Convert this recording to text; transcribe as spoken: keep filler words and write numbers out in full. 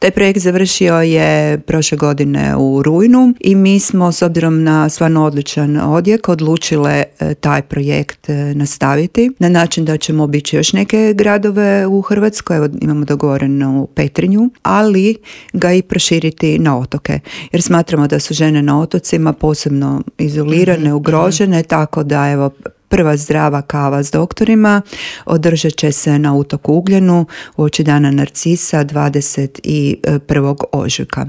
Taj projekt završio je prošle godine u rujnu i mi smo, s obzirom na stvarno odličan odjek, odlučile taj projekt nastaviti na način da ćemo obići još neke gradove u Hrvatskoj. Evo, imamo dogovorenu Petrinju, ali ga i proširiti na otoke. Jer smatramo da su žene na otocima posebno izolirane, mm-hmm. ugrožene, tako da evo prva zdrava kava s doktorima održat će se na otoku Ugljenu uoči Dana Narcisa dvadeset prvog ožujka.